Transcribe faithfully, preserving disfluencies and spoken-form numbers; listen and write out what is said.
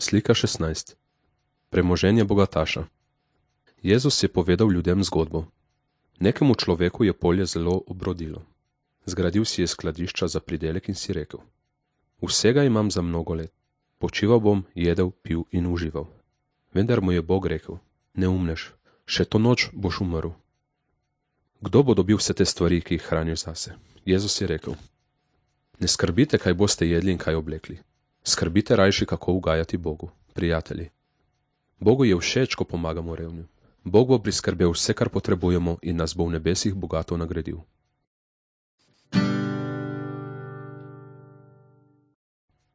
Slika šestnajst. Premoženje bogataša. Jezus je povedal ljudem zgodbo. Nekemu človeku je polje zelo obrodilo. Zgradil si je skladišča za pridelek in si rekel: Vsega imam za mnogo let. Počival bom, jedel, pil in užival. Vendar mu je Bog rekel: Neumnež, še to noč boš umrl. Kdo bo dobil vse te stvari, ki jih hraniš zase? Jezus je rekel: Ne skrbite, kaj boste jedli in kaj oblekli. Skrbite rajši, kako ugajati Bogu. Prijatelji, Bogu je všeč, ko pomagamo revnim. Bog bo priskrbel vse, kar potrebujemo, in nas bo v nebesih bogato nagradil.